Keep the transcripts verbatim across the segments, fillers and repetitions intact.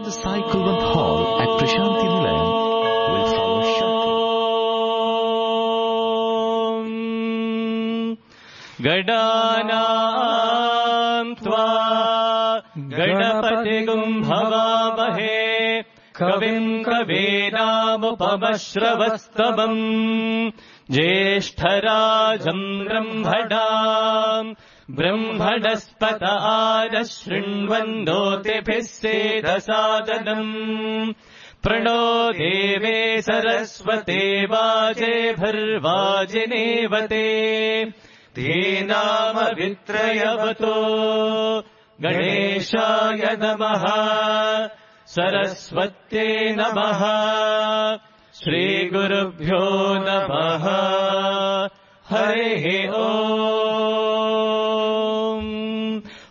the Sai Kulwant Hall at Prashanti Nilayam will follow shortly. Gadanam tva Ganapatigum bhavamahe Kavim kavedamupamashravastabam Jeshtarajam brahmadam Brahmadaspata adashrinvandotiphissedasadanam Prano deve sarasvate vaje bharvajinevate Tenama vitrayavato Ganeshaya namaha Saraswate namaha Shri Gurubhyo namaha Hare Om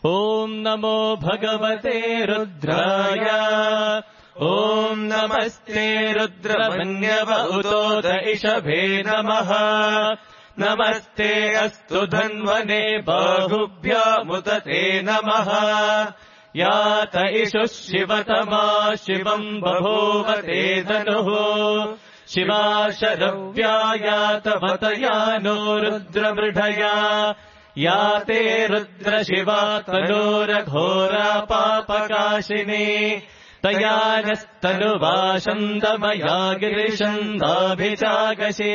Om Namo Bhagavate Rudraya Om Namaste Rudramanyava Utoda Ishabhe namaha Namaste Astu Dhanvane Bahubhya Mutate namaha Yata Ishu Shivatama Shivam Babhovate Dhanuhu Shiva Sharavyayata Vatayano Rudra Mridhaya Yate Rudra Shiva Tanura Ghora Papakashini Tayanastanu-vashandamaya girishandabhijagashe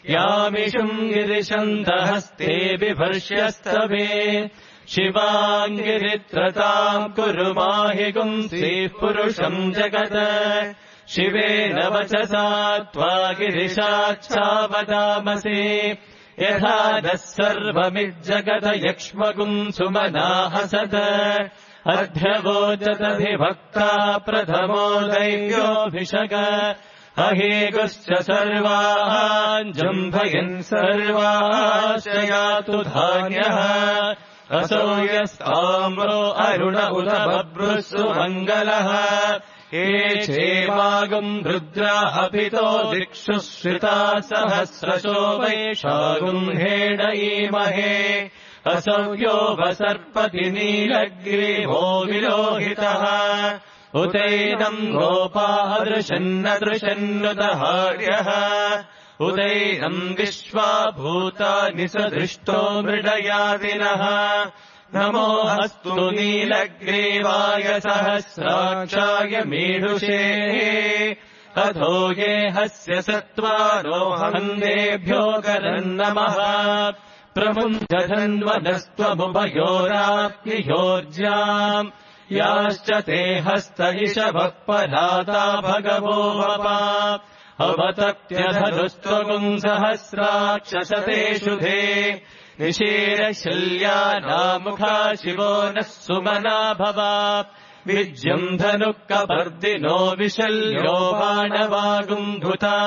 Yamishum girishandahaste bibharshyastave Shivangiritratam kurumahigum sih purusham jagata Shivena vachasa tva girishacchavadamase Yatha dassarvamijjagata yakshmagum sumanahasata Adhyavojatadhivakta pradhamo daivyovishaga Aheguscha sarvān jambhayan sarvāshayatu dhānyaha Asoyastamro aruna uta babrusu mangalaha Echevagum rudra apito dikshu shrita sahasrasho vaishagum hedaimahe Asavyo vasarpati nilagrivo vilohitaha Udainam gopadrishannadrishannutaharyaha Udainam vishvabhuta nisadrishto mridayadinaha Namo astu nilagrivaya sahasrakshaya medushe Atho ye hasya sattvarohandebhyo karannamaha Pramunjadhanvanastva-mubayorapniyorjyam Yascha te hasta ishavakparata bhagavo vapa Avatatyathadustvagum sahasrakshasate shudhe Nishira shalyana mukha shivo nassumana bhava Vijyam dhanukka pardino vishalyo banavagum bhuta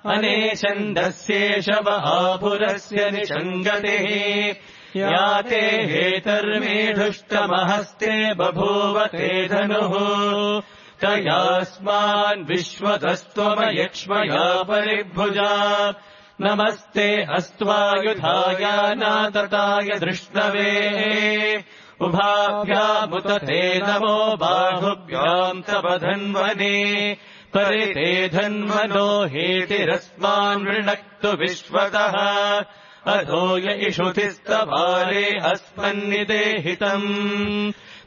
Aneshandasyeshava apurasya nishangatehi Yate hetarmedhushtamahasте babhuvate dhanuhu Tayasman vishvatastvama paribhuja Namaste astvayudhaya natataya drishnave Ubhabhyamutate namo bahubhyam tabadhanvane Parite dhanvano hetirasman vrinaktu vishvataha Adhoya ishutistavare asmannidehitam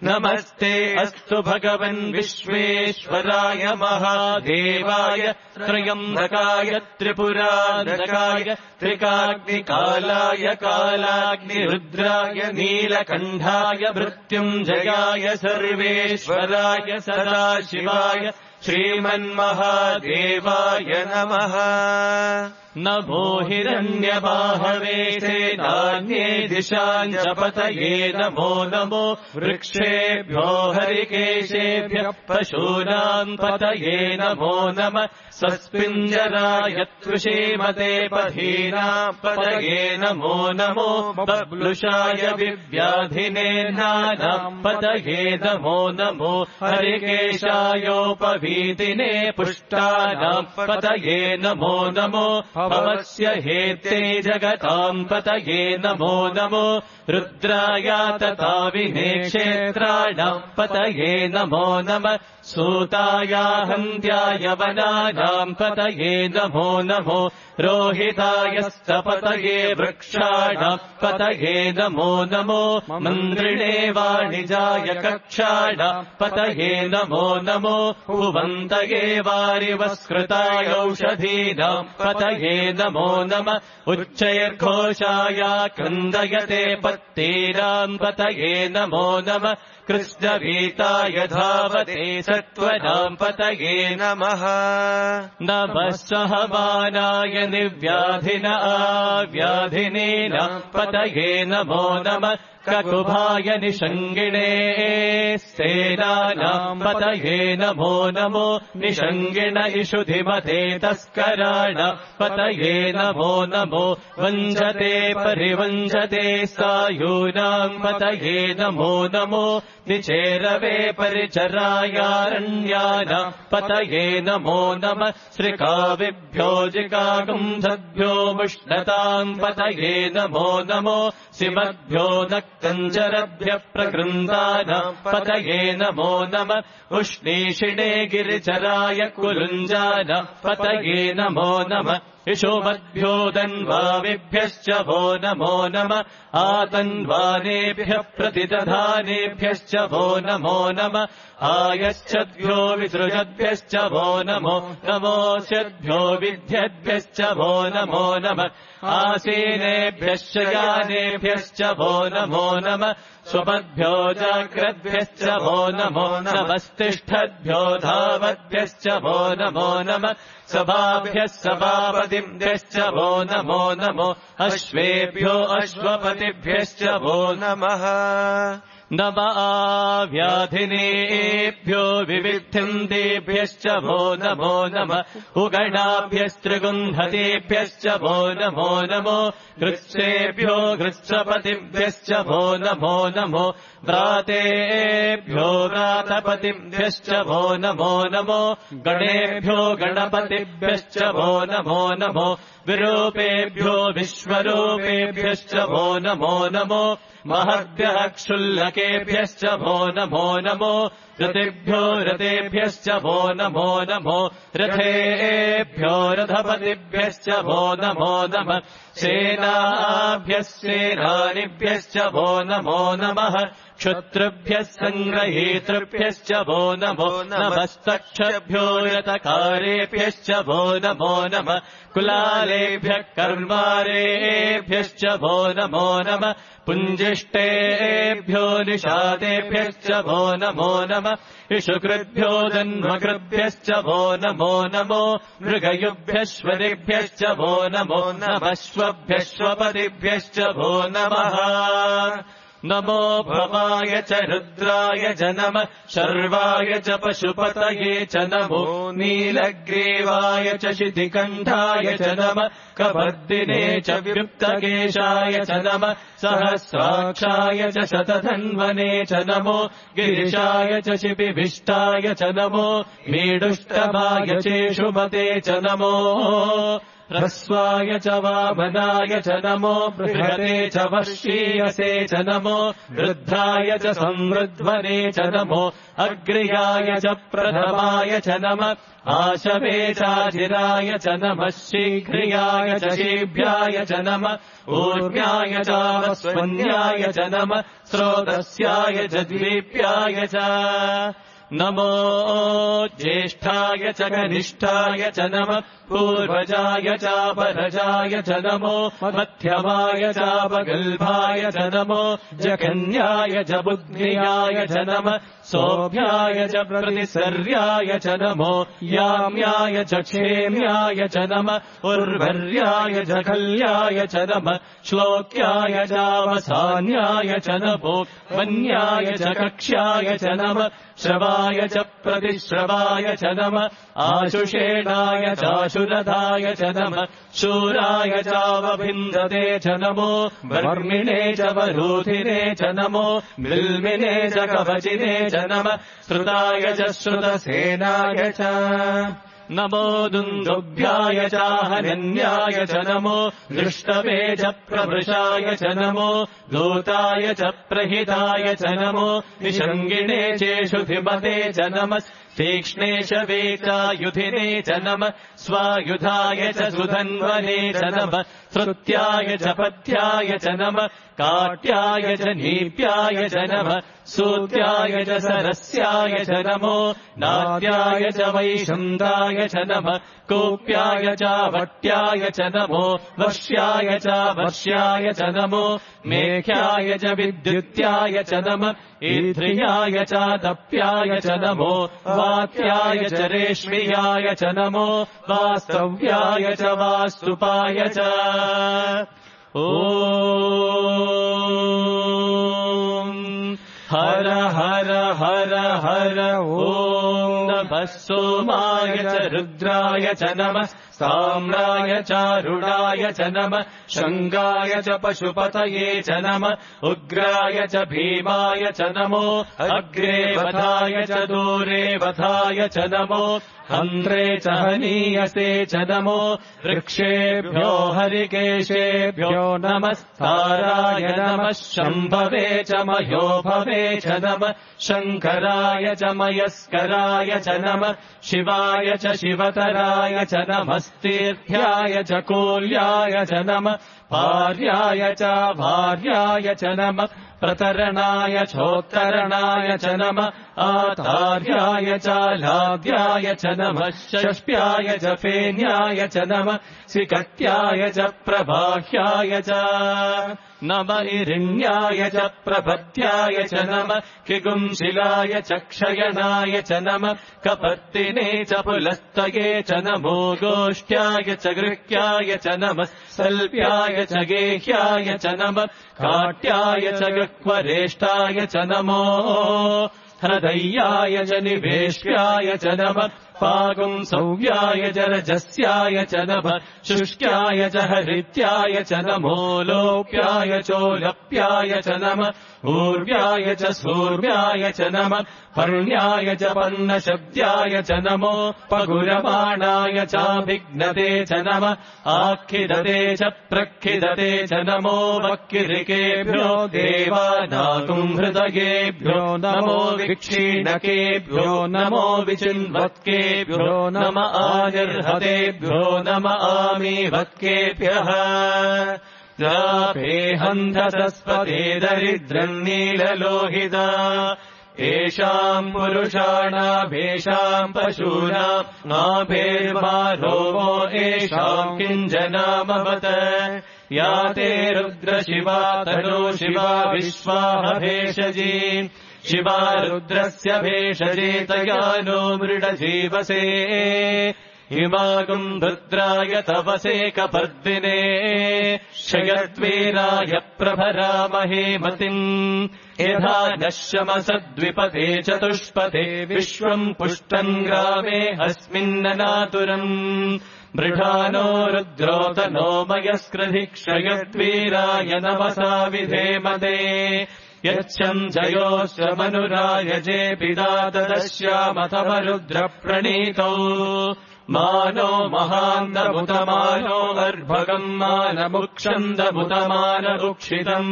Namaste astu bhagavan vishveshwaraya mahadevaya Trayambakaya tripuranakaya Trikagnikalaya kalagni rudraya nilakandhaya Mrityunjayaya sarveshwaraya sadashivaya Shriman Mahadevaya namaha Namo hiranyabahave senanye dishanjapataye Namo namo vrikshebhyo harikeshebhyo pashunam pataye Namo nama saspinjaraya tvishimate padhina pataye Namo namo bablushaya vivyadhine nanam pataye Namo namo harikeshayo pavi वीतिने पुष्टानाम् पतये नमो नमो भवस्य हेते जगताम् पतये नमो नमो रुद्राय तथाविने क्षेत्राणाम् पतये नमो नमः सूताय हन्त्याय वनानाम् पतये नमो नमो रोहिताय स्तपतये वृक्षाणाम् पतये नमो नमो मन्त्रिणे वाणिजाय कक्षाणाम् पतये नमो नमो भुवन्तये वारिवस्कृताय औषधीनाम् पतये नमो नमः उच्चैर्घोषाय क्रन्दयते पत्तीनाम् पतये नमो नमः कृष्णभीताय धावते सत्त्वनाम् पतये नमः नमः सहमानाय निर्व्याधिन आव्याधिनीनाम् पतये नमो नमः ककुभाय निषङ्गिणे सेनानाम् पतये नमो नमो निषङ्गिण इषुधिमते तस्कराणाम् पतये नमो नमो वञ्जते परिवञ्जते सायूनाम् पतये नमो नमो निचेरवे परिचरायारण्यानाम् पतये नमो नमः श्रिकाविभ्यो जिकागुंधभ्यो मुष्णताम् पतये नमो नमो सिमद्भ्यो नक्तञ्जरभ्यः प्रकृन्दानाम् पतये नमो नमः उष्णीषिणे गिरिचराय कुलुञ्जानाम् पतये नमो नमः इषोमद्भ्यो दन्वाविभ्यश्च वो नमो नमः आतन्वानेभ्यः प्रतिदधानेभ्यश्च वो नमो नमः आयश्चद्भ्यो विसृजद्भ्यश्च वो नमो नमोऽस्यद्भ्यो विद्यद्भ्यश्च वो नमो नमः आसीनेभ्यश्च यानेभ्यश्च वो नमो नमः स्वपद्भ्यो जाग्रद्भ्यश्च वो नमो नमस्तिष्ठद्भ्यो धावद्भ्यश्च वो नमो नमः सभाभ्यः सभापतिभ्यश्च वो नमो नमो अश्वेभ्यो अश्वपतिभ्यश्च वो नमः नम आव्याधिनेभ्यो विविद्धन्तेभ्यश्च वो नमो नमः उगणाभ्यस्त्रिगुन्धतेभ्यश्च वो नमो नमो गृत्सेभ्यो गृत्सपतिभ्यश्च वो नमो नमो व्रातेभ्यो व्रातपतिभ्यश्च वो नमो नमो गणेभ्यो गणपतिभ्यश्च वो नमो नमो विरूपेभ्यो विश्वरूपेभ्यश्च वो नमो नमो महद्भ्यः क्षुल्लकेभ्यश्च वो नमो नमो रतेभ्यो रतेभ्यश्च वो नमो नमो रथेभ्यो रथपतिभ्यश्च वो नमो नमः सेनाभ्यः सेनानिभ्यश्च वो नमो नमः क्षत्रुभ्यः सङ्ग्रहीतृभ्यश्च वो नमो नमस्तक्षभ्यो रतकारेभ्यश्च वो नमो नमः कुलालेभ्यः कर्मारेभ्यश्च वो नमो नमः पुञ्जिष्टेभ्यो निषादेभ्यश्च वो नमो नमः इषुकृभ्यो जन्मकृभ्यश्च वो नमो नमो मृगयुभ्यश्वरिभ्यश्च वो नमो नमश्वभ्यश्वपतिभ्यश्च वो नमः नमो भवाय च रुद्राय च नमः शर्वाय च पशुपतये च नमो नीलग्रीवाय च शितिकण्ठाय च नमः कपर्दिने च व्युक्तकेशाय च नमः सहस्राक्षाय च शतधन्वने च नमो गिरिशाय च शिपिभिष्टाय च नमो मीडुष्टमाय चेषुमते च नमो ह्रस्वाय च वामनाय च नमो बृहते च वर्षीयसे च नमो वृद्धाय च संवृध्वने च नमो अग्र्याय च प्रथमाय च नमः आशवे चाजिराय च नमः शीघ्रियाय च शीभ्याय च नमः ऊर्म्याय च वस्वन्याय च नमः स्रोतस्याय च द्वीप्याय च नमो ज्येष्ठाय च कनिष्ठाय च नमः पूर्वजाय चापरजाय च नमो मध्यमाय चापगल्भाय च नमो जघन्याय च बुद्ध्याय च नमः सौभ्याय च प्रतिसर्याय च नमो याम्याय च क्षेम्याय च नमः उर्वर्याय च कल्याय च नमः श्लोक्याय चावसान्याय च नमो वन्याय च कक्ष्याय च नमः श्रवाय च प्रतिश्रवाय च नमः आशुषेणाय चाशुरथाय च नमः शूराय चावभिन्दते च नमो वर्मिणे च वरूधिने च नमो बिल्मिने च कवचिने च नमः श्रुताय च श्रुतसेनाय च नमो दुन्दुभ्याय चाहनन्याय च नमो दृष्टवे च प्रवृषाय च नमो दूताय च प्रहिताय च नमो निषङ्गिणे चेषुधिमते च नमः तीक्ष्णेश वेचायुधिने च नमः स्वायुधाय च सुधन्वने च नमः श्रुत्याय च पथ्याय च नमः काट्याय च नीप्याय च नमः सूत्याय च सरस्याय च नमो नाद्याय च वैशन्ताय च नमः कोप्याय च वट्याय च नमो वर्ष्याय च वर्ष्याय च नमो मेघ्याय च विद्युत्याय च नमः ईध्रियाय च दप्याय च नमो वात्याय च रेश्मियाय च नमो वास्तव्याय च वास्तुपाय च ॐ हर हर हर हर ॐ नमः सोमाय च रुद्राय च नमः साम्राय चारुणाय च नमः शङ्गाय च पशुपतये च नमः उग्राय च भीमाय च नमो अग्रे वधाय च दूरे वधाय च नमो हन्त्रे च हनीयसे च नमो वृक्षेभ्यो हरिकेशेभ्यो नमस्ताराय नमः शम्भवे च मह्योभवे च नमः शङ्कराय च मयस्कराय च नमः शिवाय च शिवतराय च नमस्तीर्थ्याय च कोल्याय च नमः भार्याय च भार्याय च नमः प्रतरणाय चोत्तरणाय च नमः आतार्याय च लाद्याय च नमः षष्प्याय च फेन्याय च नमः सिकट्याय च प्रबाह्याय च नमः इरिण्याय च प्रपद्याय च नमः किगुंशिलाय च क्षयणाय च नमः कपर्दिने च पुलस्तये च नमो गोष्ठ्याय च गृह्याय च नमः सल्प्याय च गेह्याय च नमः काट्याय च गह्वरेष्ठाय च नमो हृदय्याय च निवेश्याय च नमः पागुंसव्याय च रजस्याय च नमः शुष्क्याय च हरित्याय च नमो लोप्याय चोलप्याय च नमः ऊर्व्याय च सूर्व्याय च नमः पर्ण्याय च पर्णशब्द्याय च नमो पगुरमाणाय चाभिघ्नते च नमः आखिदते च प्रखिदते च नमो वक्किरिकेभ्यो देवानाकुम्हृदयेभ्यो नमो विक्षीणकेभ्यो नमो विचिन्वत्केभ्यो नम आनिर्हतेभ्यो नम आमीवत्केभ्यः जापेहन्धसस्पते दरिद्रम् नीललोहिता येषाम् पुरुषाणाभेषाम् पशूनाम् नाभेर्मारोमो येषाम् किञ्जनामवत या ते रुद्रशिवा तनो शिवा विश्वाह भेषजी शिवा रुद्रस्य भेषजे तया नो मृडजीवसे हिमागुम् रुद्राय तवसे कपर्दिने क्षयद्वीराय प्रभरामहे मतिम् यथा नश्यमसद्विपते चतुष्पथे विश्वम् पुष्टम् ग्रामे अस्मिन्ननातुरम् मृढानो रुद्रोतनो मयस्कृधि क्षयद्वीराय नमसा विधेमते यच्छम् जयोश्च मनुरायजे पिदातदश्यामथव रुद्रप्रणीतौ मानो महान्दमुतमानो अर्भगम् मानमुक्षन्दमुतमानरुक्षितम्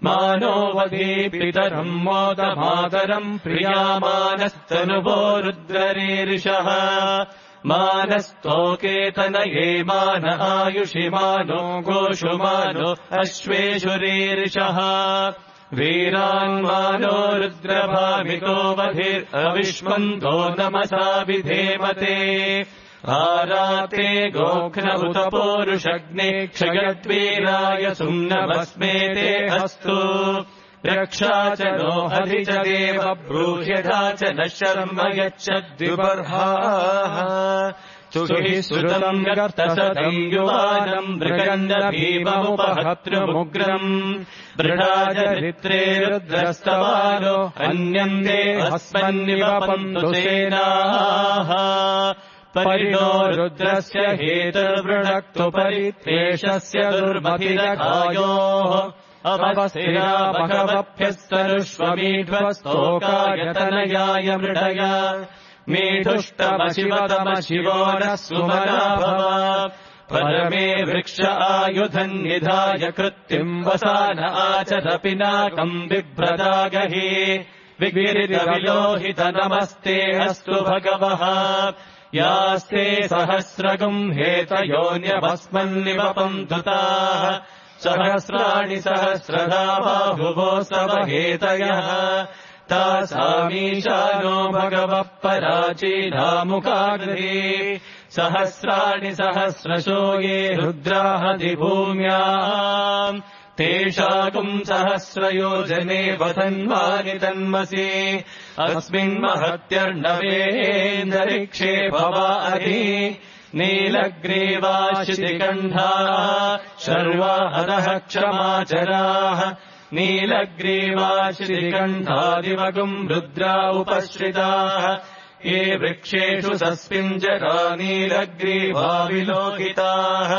मानो वधीपितरम् मोदमातरम् प्रियामानस्तनुभो रुद्ररीरिषः मानस्तोकेतनये मान आयुषि मानो गोषु मानो अश्वेषुरीरिषः वीरान्मानो रुद्रभामितो वधिरविष्मन्तो नमसा विधेमते आराते गोघ्न उत पौरुषग्ने क्षयद्वीराय सुम्नभस्मेते अस्तु रक्षा च नो हरि च देव ब्रूह्यथा च न शर्म यच्छद्विबर्हाः सुहि श्रुतम् गर्तसतम् युवानम् मृगण्डभीममुपहतृमुग्रम् दृढाचरित्रे रुद्रस्तवालो अन्यन्ते अस्मन्निवपन्तु सेनाः परिणो रुद्रस्य हेतुर्वृणक्तु परित्वेषस्य दुर्मतिरकायोः अवस्थिरा भगवभ्यस्तरुष्वमीढ्वस्तोकायतनयाय मृडय मीढुष्टमशिवतमशिवो नः सुमना भव परमे वृक्ष आयुधम् निधाय कृत्तिम् वसान आचर पिनाकम् बिभ्रदागहि विगिरितविलोहित नमस्ते अस्तु भगवः यास्ते सहस्रगुम् हेतयोन्यभस्मन्निवपन्तु ताः सहस्राणि सहस्रधा बाहुवो सव हेतयः तासामीशानो भगवः पराचीनामुखाग्रे सहस्राणि सहस्रशो ये रुद्राहदिभूम्याम् तेषाकुम् सहस्रयोजने वधन्वानि तन्मसि अस्मिन्महत्यर्णवेन्दरिक्षे भवाहि नीलग्रीवाशितिकण्ठाः शर्वाहरः क्षमाचराः नीलग्रीवाशितिकण्ठादिवगुम् रुद्रा उपश्रिताः ये वृक्षेषु सस्मिञ्जरा नीलग्रीवा विलोहिताः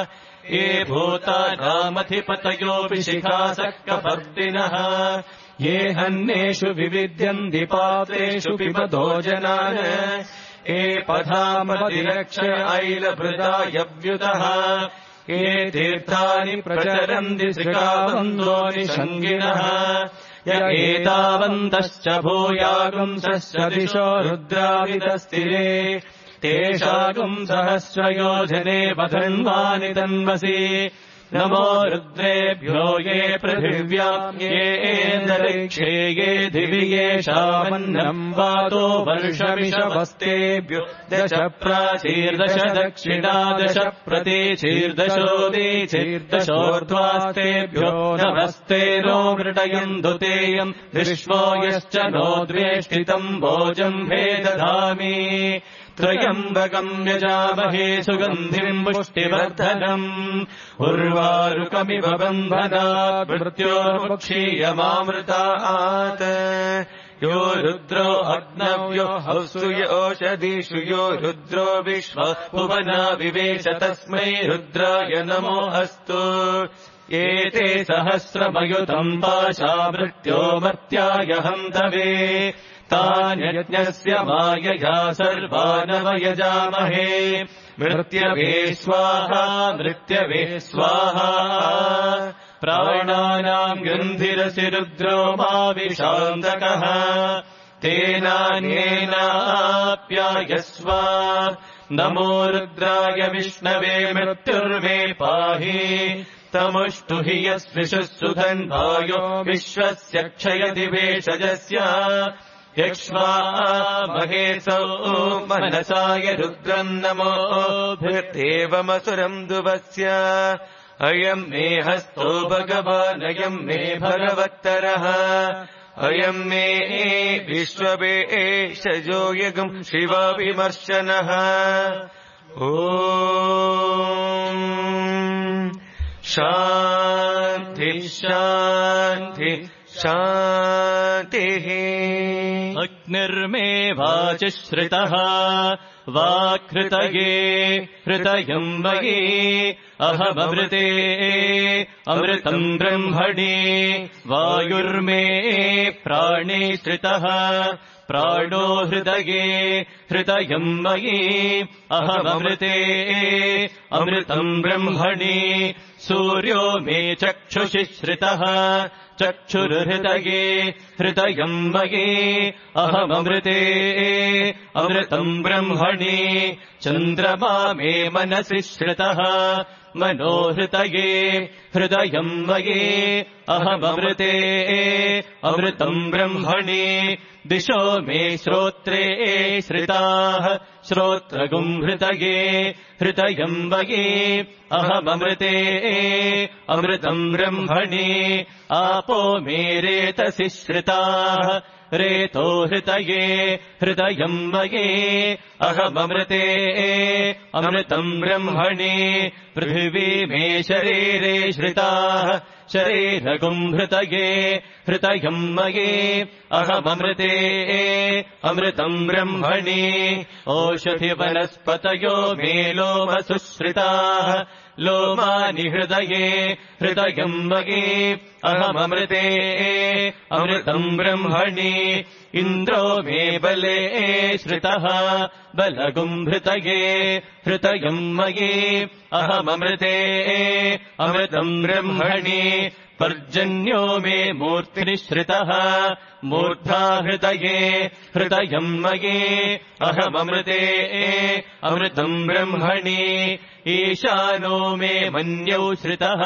ये भूतानामधिपतयोऽपि शिखासक्कपर्दिनः ये हन्नेषु विविध्यन्ति पात्रेषु पिबतो जनान् ये पधामतिरक्ष ऐलभृतायव्युतः ये तीर्थानि प्रचरन्ति श्रिकावन्दोनिषङ्गिणः य एतावन्तश्च भूयागुंसश्च दिशो रुद्राविदस्तिरे तेषाकुम् सहस्रयोजने वधन्वानि तन्वसि नमो रुद्रेभ्यो ये पृथिव्याम् येऽन्तरिक्षे ये दिवि येषामन्नम् वातो वर्षमिषवस्तेभ्यो दश प्राचीर्दश दक्षिणा दश प्रतीचीर्दशोदीचीर्दशोर्ध्वास्तेभ्यो नमस्ते नो मृडयन्तु तेयम् विश्वो यश्च नो द्वेष्टितम् भोजम् भेदधामि त्रयम्बकम् यजामहे सुगन्धिम् पुष्टिवर्धनम् उर्वारुकमिव बन्धनात् मृत्योर्मुक्षीयमामृतात् यो रुद्रो अग्नव्यो हौसु योषधीषु यो रुद्रो विश्व भुवना विवेश तस्मै रुद्राय नमो अस्तु एते सहस्रमयुतम् पाशा मृत्यो मर्त्याय हन्तवे तान्यज्ञस्य मायया सर्वानवयजामहे मृत्यवे स्वाहा मृत्यवे स्वाहा प्राणानाम् गन्धिरसि रुद्रो माविशान्तकः तेनान्येनाप्यायस्व नमो रुद्राय विष्णवे मृत्युर्वे पाहि तमुष्टुहि यस्विषुः सुधन्वायो विश्वस्य क्षयदिवेशजस्य यक्ष्वा महेशौ मनसाय रुद्रम् नमो भृत्येवमसुरम् दुवस्य अयम् मे हस्तो भगवानयम् मे भगवत्तरः अयम् मे विश्ववेशजो यगुम् शिवाभिमर्शनः ॐ शान्ति शान्ति शान्तिः अग्निर्मे वाचिश्रितः वाक्हृतये हृतयम् वये अहममृते अमृतम् ब्रह्मणे वायुर्मे प्राणे श्रितः प्राणो हृदये हृदयम् वये अहममृते अमृतम् ब्रह्मणे सूर्यो मे चक्षुषि श्रितः चक्षुर्हृदये हृदयम् वये अहममृते अमृतम् ब्रह्मणे चन्द्रमा मे मनसि श्रितः मनो हृदये हृदयम् वये अहममृते अमृतम् ब्रह्मणे दिशो मे श्रोत्रे श्रिताः श्रोत्रगुम् हृदये हृदयम् वये अहममृते अमृतम् ब्रह्मणे आपो मे रेतसि श्रिताः रेतो हृतये हृदयम् मये अहममृते अमृतम् ब्रह्मणि पृथिवी मे शरीरे श्रिताः शरीरगुम् हृतये हृतयम् मये अहममृते अमृतम् ब्रह्मणि ओषधि वनस्पतयो मे लोमसुश्रिताः लोमानि हृदये हृदयम् मये अहममृते अमृतम् ब्रह्मणि इन्द्रो मे बले श्रितः बलगुम् हृतये हृदयम् मये अहममृते अमृतम् ब्रह्मणि पर्जन्यो मे मूर्तिनिश्रितः मूर्धा हृदये हृदयम् मये अहममृते अमृतम् ब्रह्मणि ईशानो मे मन्यौ श्रितः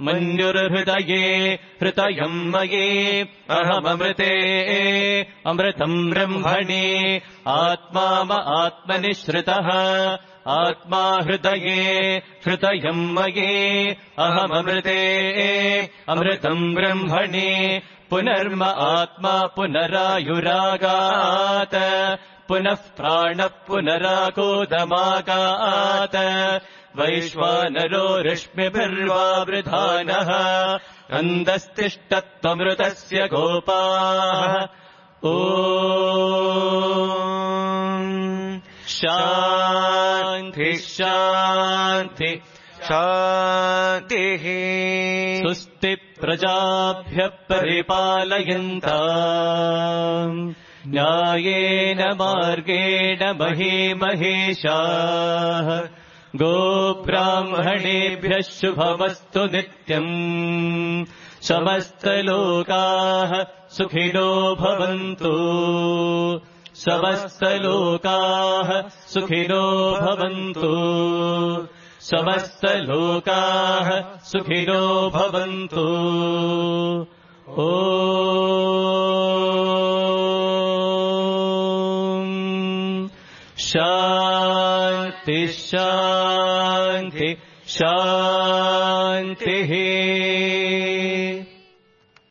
मन्युर्हृदये हृदयम् मये अहममृते अमृतम् ब्रह्मणि आत्मा म आत्मनि श्रितः आत्मा हृदये हृदयम् मये अहममृते अमृतम् ब्रह्मणि पुनर्म आत्मा पुनरायुरागात् पुनः प्राणः पुनराकोदमागात् वैश्वानरो रश्मिभिर्वावृधानः अन्दस्तिष्ठत्वमृतस्य गोपाः ॐ शान्ति शान्ति शान्तिः स्वस्ति प्रजाभ्यः परिपालयन्ताम् न्यायेन मार्गेण महीमहेशाः गोब्राह्मणेभ्यः शुभमस्तु नित्यम् समस्तलोकाः सुखिनो भवन्तु समस्तलोकाः सुखिनो भवन्तु समस्तलोकाः सुखिनो भवन्तु ॐ शान्ति शान्ति शान्तिः